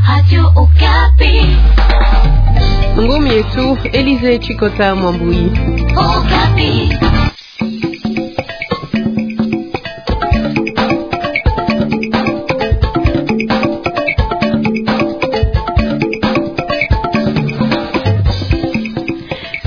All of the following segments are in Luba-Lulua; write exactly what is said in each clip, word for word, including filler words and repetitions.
Radio Okapi. Ngumi yetu Elize Chikota Mwambui. Okapi.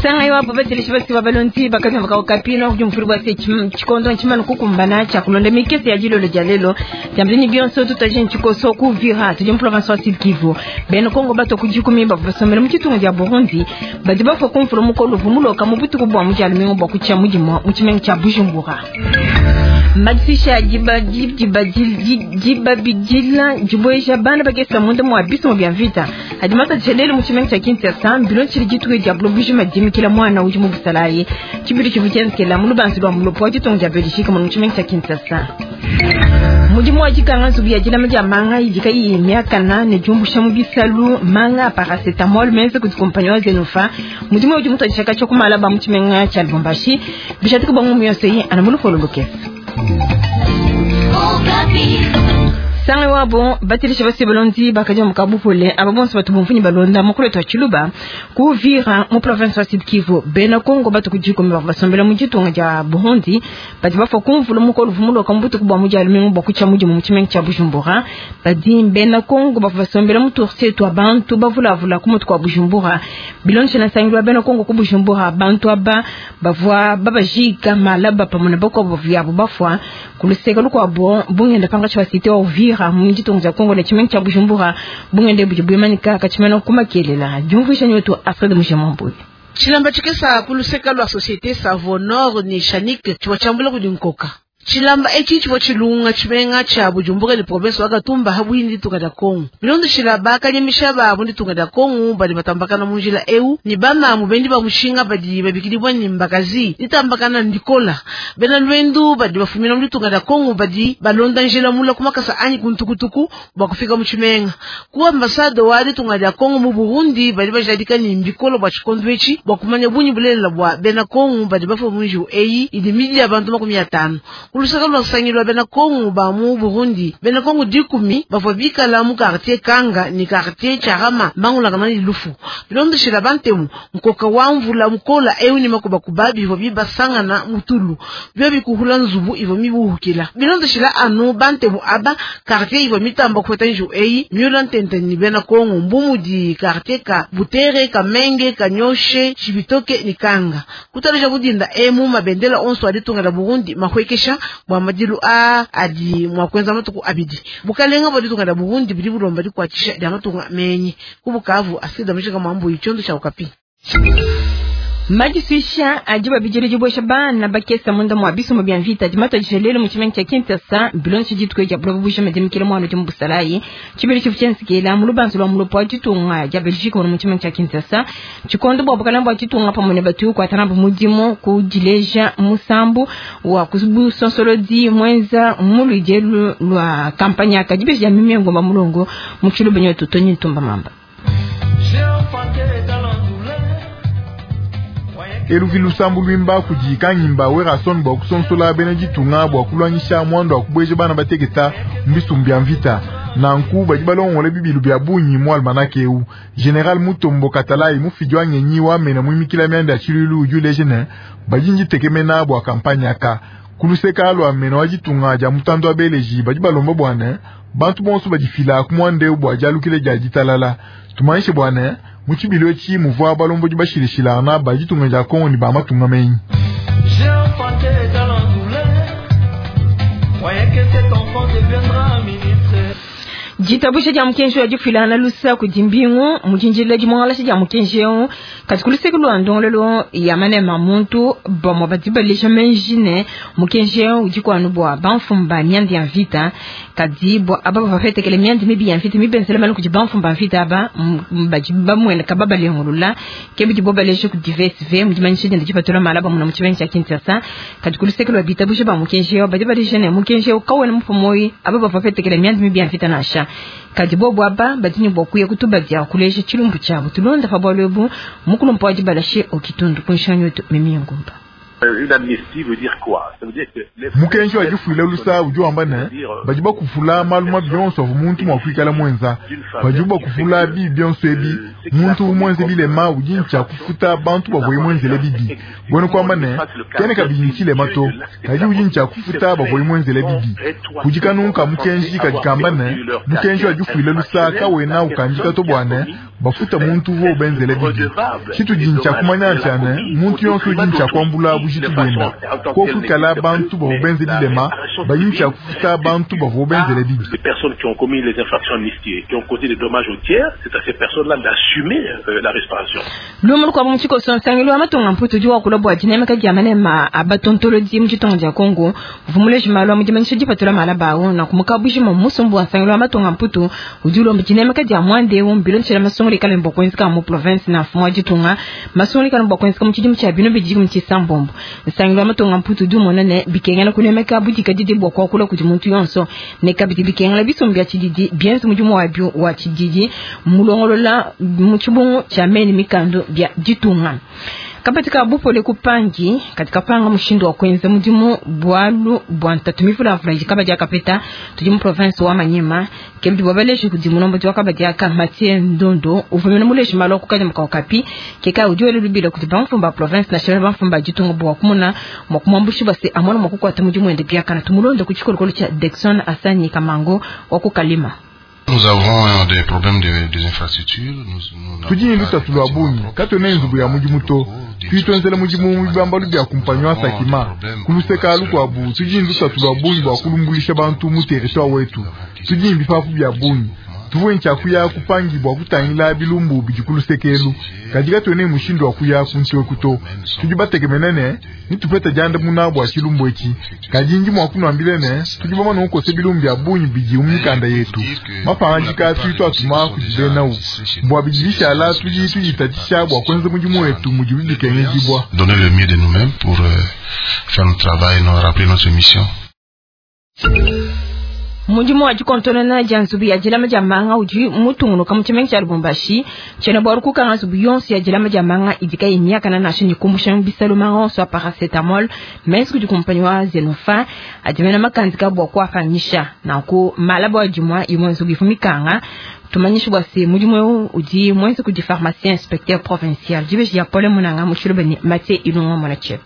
Sanga iwapo bateleshi basi babalonzi bakati baka Okapi no kujumfuri bwa se chikondo nchimano kukumbana cha kulonda mikese ya jilolo ja lelo jamzini bionso tutaje nchikoso kuvira tuje province wa Sud Kivu beno Kongo bato kujikumi basomela mu chitungu ja Burundi badi bafo kumfuro mukolo vumuloka mu butuku bwa mujalumingo bwa kucha mujimo mu chimengo cha Bujumbura. Madisha jiba jiba jiba bijila jiboesha bana bakesa munda mu abiso bya vita hadimata chelele mu chimengo cha Kinshasa bilo chili jituwe ja blobuji madimi kila mwana uji mu busalaye chibiri chivuchenzekela mu lubanzi lwa mulopo wa chitongo cha Belgique mu chimengo cha Kinshasa. Mudimu wa jikanga nzubu ya jilama ja manga idika iyi miaka nane jumbusha mu bisalu manga paracetamol menze kuti kompanyi wa Zenofa mudimu uji mutu ajishaka cho kumala ba mu chimenga cha Lubumbashi bishatuka bangu muyose yi anamulufolo lukesa. Okapi. Sanga wabo batirisha basi balondi bakaja mukabupole aba bonso batu bumfunyi balonda mukulu twa Chiluba kuvira mu province wa Sud Kivu bena Kongo batu kujiko basombela mu jitunga ja Burundi bati bafo kumvula mukolo vumuloka mbutu kubwa mujalumingo bwa kucha muji mu chimengo cha Bujumbura badi bena Kongo bafu basombela mu tourse twa bantu bavulavula ku mutu kwa Bujumbura bilonche na sangilwa bena Kongo ku Bujumbura bantu aba bavwa babajika malaba pamwe na bako bavyabo bafwa kuluseka lukwabo bungenda panga cha cité wa Uvira mu jitunga ja Kongo na chimengo cha Bujumbura bungende bujibwemanika kachimena kumakelela jumvisha nyoto Alfred Mujamambuye. Chilamba chikesa kuluseka lwa société Savonor ni Shanik chiwa chambula kudinkoka chilamba echi chivo chilunga chimenga cha Bujumbura ni province wa Gatumba habwindi tunga da Kongo bilondo chilaba kanyemisha ba bundi tunga da Kongo bali batambakana munjila eu ni bama mubendi ba mushinga badi babikilibwa ni mbakazi litambakana ndikola bena lwendu badi bafumina muri tunga da Kongo badi balonda njila mula kumakasa anyi kuntukutuku bakufika mu chimenga ku ambasade wa tunga da Kongo mu Burundi badi bajadika ni mbikolo bwa chikondo echi bwa kumanya bunyi bulela bwa bena Kongo badi bafa munju eyi idi midi ya bantu makumi atano kulusaka lwasangilwa bena Kongo ba mu Burundi bena Kongo dikumi bavua bikala mu quartier Kanga ni quartier Charama mangulaka ni lufu bilondeshela bantemu nkoka wa mvula mukola eu ni makubakuba bivua bibasangana mutulu byo bikuhula nzubu ivua mibuhukila bilondeshela anu bantemu aba quartier ivua mitamba kufuata nju eyi miula ntente ni bena Kongo mbumudi quartier ka Butere Kamenge Kanyoshe Chibitoke ni Kanga kutaleja budinda emu mabendela onso aditunga la Burundi mahwekesha bwa madilu a adi mwakwenza matuku abidi bukalenga bwaditunga da Burundi bili bulomba dikwachisha dia matunga menyi kubukavu asida mshika mambo ichondo cha Okapi. Majiswisha ajiba bijiri jibwesha bana bakesa munda mwa biso mu bya vita jimata jishelele mu chimengo cha Kinshasa bilonshi jitwe ja bulobu busha medemikele mwana jimbu busalayi chibiri chifu chensikela mu lubanzo lwa mulopo wa jitunga ja Belgique mu chimengo cha Kinshasa chikondo bwa bukala bwa jitunga pamwe ne batu kwa tanambu mudimu kujileja musambu wa kusubu sonsolodi mwenza muluje lwa kampanya akajibeja mimi ngomba mulongo mu chiluba nyoto tonyi ntumba mamba. Eluvi lusambu lwimba kujika ngimba werason bwa kusonsola bena jitunga bwa kulwanyisha mwando wa kubweje bana bateketa mbisumbi ya mvita nanku badi balongole bibilu bya bunyi mu almanake eu General Mutombo Katalai mufidi wa ngenyi wamena mwimikila myanda ya chilulu ujuleje ne badi njitekemena bwa kampanya aka kuluseka lwa mena wa jitunga ja mutandu wa beleji badi balomba bwana bantu bonso badifila ku mwande bwa jalukile ja jitalala tumanyishe bwana muchibilo echi muvua balombo bashilishilana bajitunga ja Kongo ni bamatunga menyi. Jitabusha ja mukenji wa jifilana lusa kudimbingu mujinjila jimwangalasha ja mukenji yo kati kuluseke lwa ndongolelo ya manema muntu bamwa badibalisha menjine mukenji yo ujikwanu bwa banfumba myandi ya vita kadi bwa aba bafetekele myandi mibi ya vita mibenzele malu kuji banfumba vita aba baji bamwene kababa lengulula kebi jibobalesha ku D V S V mujimanyisha jenda jipatula malaba muna muchibenyi cha Kinshasa kati kuluseke lwa bitabusha ba mukenji yo badibalisha ne mukenji yo kawena mupomoi aba bafetekele myandi mibi ya vita nasha kadi bobo aba badini bwakuya kutubadia kuleja chilumbu chabo tulonda fa bwalwebu mukulumpa wajibalashe okitundu kunshanyo mimi ngumba. Mukenji wa difuila lusa udi wamba ne badi bakufula malu mabi yonso avua muntu mua kuikala mwenza. Badi bakufula bibi byonso ebi muntu mwenze bilema udi ntshia kufuta bantu bavua mwenzele bibi. Bwena kwamba ne kene kabidi ntshilema to kadi udi ntshia kufuta bavua mwenzele bibi. Kudi kanunka mukenji kadi kamba ne mukenji wa difuila lusa kawena ukandika to bwane bafuta muntu uvua ubenzele bibi. Tshitudi ntshia kumanya ntshia ne muntu yonso udi ntshia kuambula bujitu bwenda kokwikala bantu bavua benze bilema badi ntshia kufuta bantu bavua benzele bibi. Les personnes qui ont commis les infractions amnistiées, qui ont causé des dommages aux tiers, c'est à ces personnes-là d'assumer euh, la réparation. Lumu kwa mchiko sonsangilu amatonga mputu jua kulobwa jinemeka jamane ma abatontoloji mchitonga ja Kongo vumule jimalo mujimanyisha jipatula malabawo na kumukabuji mu musumbu wa sangilu amatonga mputu ujulo mjinemeka ja mwande umbilo nchela masongoli kale mbokwenzi ka mu province na fumo jitunga masongoli kale mbokwenzi ka mchidi mcha bino biji mchisambombo sangilu amatonga mputu du monane bikengela kunemeka budika didi bwa kwa kula kuti muntu yonso ne kabidi bikengela bisumbya chididi bienzu mujumu wa bio wa chididi mulongolola muchibungu cha meni mikando bya jitunga kapatika bupole kupangi katika panga mushindo wa kwenza mudimu bwalu bwa ntatu mifula mfula kabadia kapeta tudi mu province wa Manyema kebidi bwabaleshi kudi munombo wa kabadia ka Mathieu Ndondo uvumena muleshi maloko kaja mukaukapi keka udiwele lubila kuti bamfumba province national bamfumba jitunga bwa kumuna mwakumwambushi basi amona mwakukwata mudimu ende byakana tumulondo kuchikolokolo cha Dexon Asani Kamango wa kukalima. Nous avons des problèmes de, des infrastructures. Nous, nous tudi lutatu lwa bungi katone nzubu ya mudimu to tuitwenzele mudimu mubambalu bya kumpanywa sakima kuluseka lukwabu tudi lutatu lwa bungi bwa kulumbulisha bantu mu territoire wetu tudi bipapu bya bungi tuvuye nchakuya kupangi bwa kutangila bilumbu bijikulusekelu kadi katone mushindo wa kuya kuntwe kuto tudi bategemenene nitupeta janda muna bwa chilumbu eki kadi nji mwa kunwambile ne tudi bamana ukose bilumbu bya bungi biji umikanda yetu mapangajika tuitwa atuma kujibenau bwa bijibishala tudi tujitatisha bwa kwenza mudimu wetu mujibu bikengejibwa. Donner le mieux de nous-mêmes pour euh, faire notre travail, nous rappeler notre mission. Mudimu wa jikontona ja nzubu ya jilama ja manga udi mutungunuka mu tshimenga tshia Lubumbashi tshena bwa rukuka nzubu yonso ya jilama ja manga idika imyaka na nasho ni kumbusha bisalo manga onso ya paracetamol mais kudi kumpanyi wa Zenofa adimena makanzika bwa kuafanyisha na ku malabo wa jumwa imwe nzubu ifumikanga tumanyisha bwa se mudimu udi mwenze kudi pharmacien inspecteur provincial jibeji ya Paul Munanga mushilubeni Mathieu Ilunga mwana chef.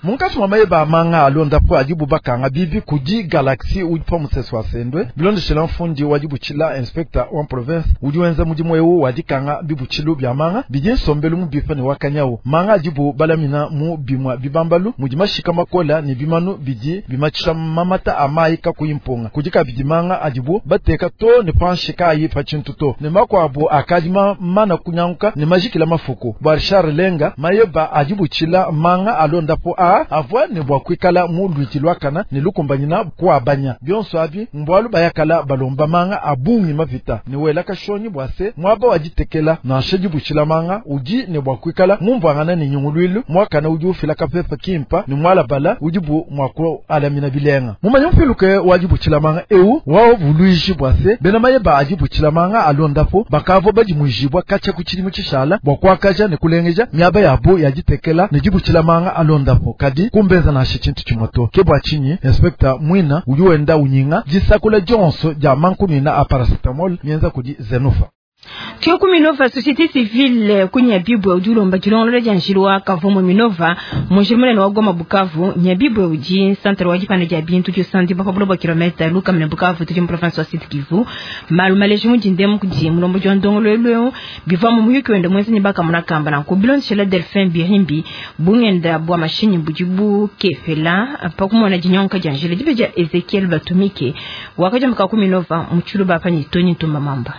Munkatshi mwa mayeba manga alondapo adibu bakanga bibi kudi Galaxy udi pa musesu wa sendwe bilondeshela mfundi wa dibutshila inspecteur wa province udi wenza mudimu ewu wa dikanga bibutshilu bya manga bidi nsombelu mu bifa ne wakanyawu manga adibu balamina mu bimwa bibambalu mudi mashika makola ne bimanu bidi bimatshisha mamata a mayi kakuyi mpunga kudi kabidi manga adibu bateka to ne panshi kayi pa tshintu to ne makuabu akadi mana kunyanguka ne majikila mafuku bwa Richard Lenga mayeba adibutshila manga alondapo a avwa ne bwa kwikala mu lwiti lwakana ne lukumbanyina kuabanya byonso abi mbwalu bayakala balomba manga abungi mavita ne wela kashonyi bwa se mwaba waditekela nansha dibutshila manga udi ne bwa kwikala mumbwangana ne nyungulwilu mwakana udi ufila kapepa kimpa ne mwalabala udi bu mwaku alamina bilenga mumanya mfiluke wa dibutshila manga ewu wao vuluishi bwa se bena mayeba adibutshila manga alondapo bakavo badimujibwa kacha kuchilimu chishala bwa kwakaja ne kulengeja miaba yabo yaditekela ne dibutshila manga alondapo kadi kumbenza na tshintu chimoto kebwa chinyi inspector mwina udi wenda unyinga disakula jonso ja mankunina a paracetamol mienza kudi Zenofa. Kyoku Minova société civile kunya bibwe udi ulomba dilongolola dia njilwa kavumu Minova munjili munene wa Goma Bukavu Nyabibwe udi centre wa dipanda dia bintu diosandi pa buloba kilomita luka mene Bukavu tudi mu province wa Sud Kivu malu maleji mudindemu kudi mulombo dia ndongolwelweu biva mu muyuki wende mwenzi ni baka munakamba na kubilondeshela Delphin Birimbi bungenda bwa mashinyi budi bukefela pakumona dinyonka dia njila dibe dia Ezekiel Batumike wakaja mukaku Minova muchulu bapa ni Tony Ntumba Mamba.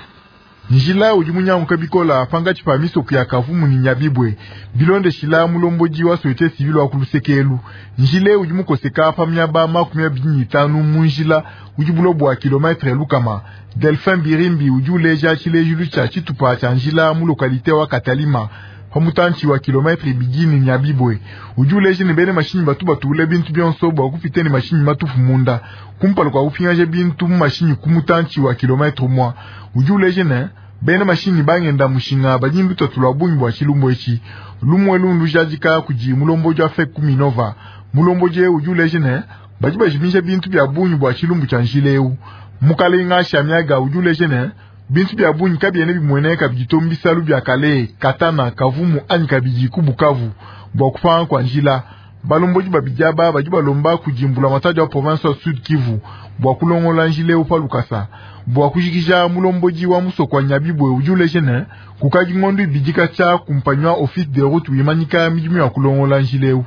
Njila udi munyanguka bikola pangatshi pa misoko ya Kavumu ni Nyabibwe bilondeshila mulomboji wa société civile wa kulusekelu njile udi mukoseka pa miaba makumi abidi ne itanu mu njila udi bulobo wa kilometre lukama. Delphin Birimbi udi uleja tshilejilu tshia tshitupa tshia njila mu lokalite wa Katalima pamutanchi wa kilometre ibidi ne Nyabibwe udi uleja ne bene mashinyi batu batule bintu byonso bwa kupita ne mashinyi matufu munda kumpala kwa kupingaja bintu mu mashinyi kumutanchi wa kilometre mwa udi uleja ne Bena mashinyi bangenda mushinga badi lutatu lwa bungi bwa tshilumbu etshi. Lumwe lundu jadika kudi mulomboji wa FEC Kuminova. Mulomboji udi uleja ne badi bajimisha bintu bya bungi bwa tshilumbu tshia njila eu. Mukalenga Shamiaga udi uleja ne bintu bya bungi kabiene bimueneka biditombisalu bya kale katana kavumu anyi kabidi ku Bukavu bwa kupanga kwa njila. Balomboji babijaba badi balomba kujimbula matadi wa province wa Sud Kivu bwa kulongola njila eu pa lukasa bwa kujikija. Mulomboji wa musoko wa Nyabibwe udi uleja ne kukadi ngondo ibidika tshia kumpanywa office de route wimanyika midimu ya kulongola njila eu.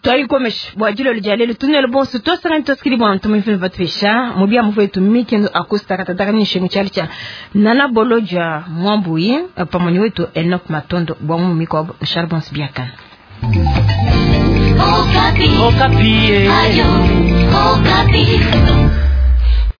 Twayikomesha bwa jilo lya lelo tunelo bonso tosangani tosikili bwa ntumu mfini vatwesha mubia muvwetu mikendo akusta katataka ni shengu chali cha nana bolo ja mwambuyi pamoja wetu Enoch Matondo bwa mumiko Charbons Biakana. Okapi. Okapi. Ayo, Okapi.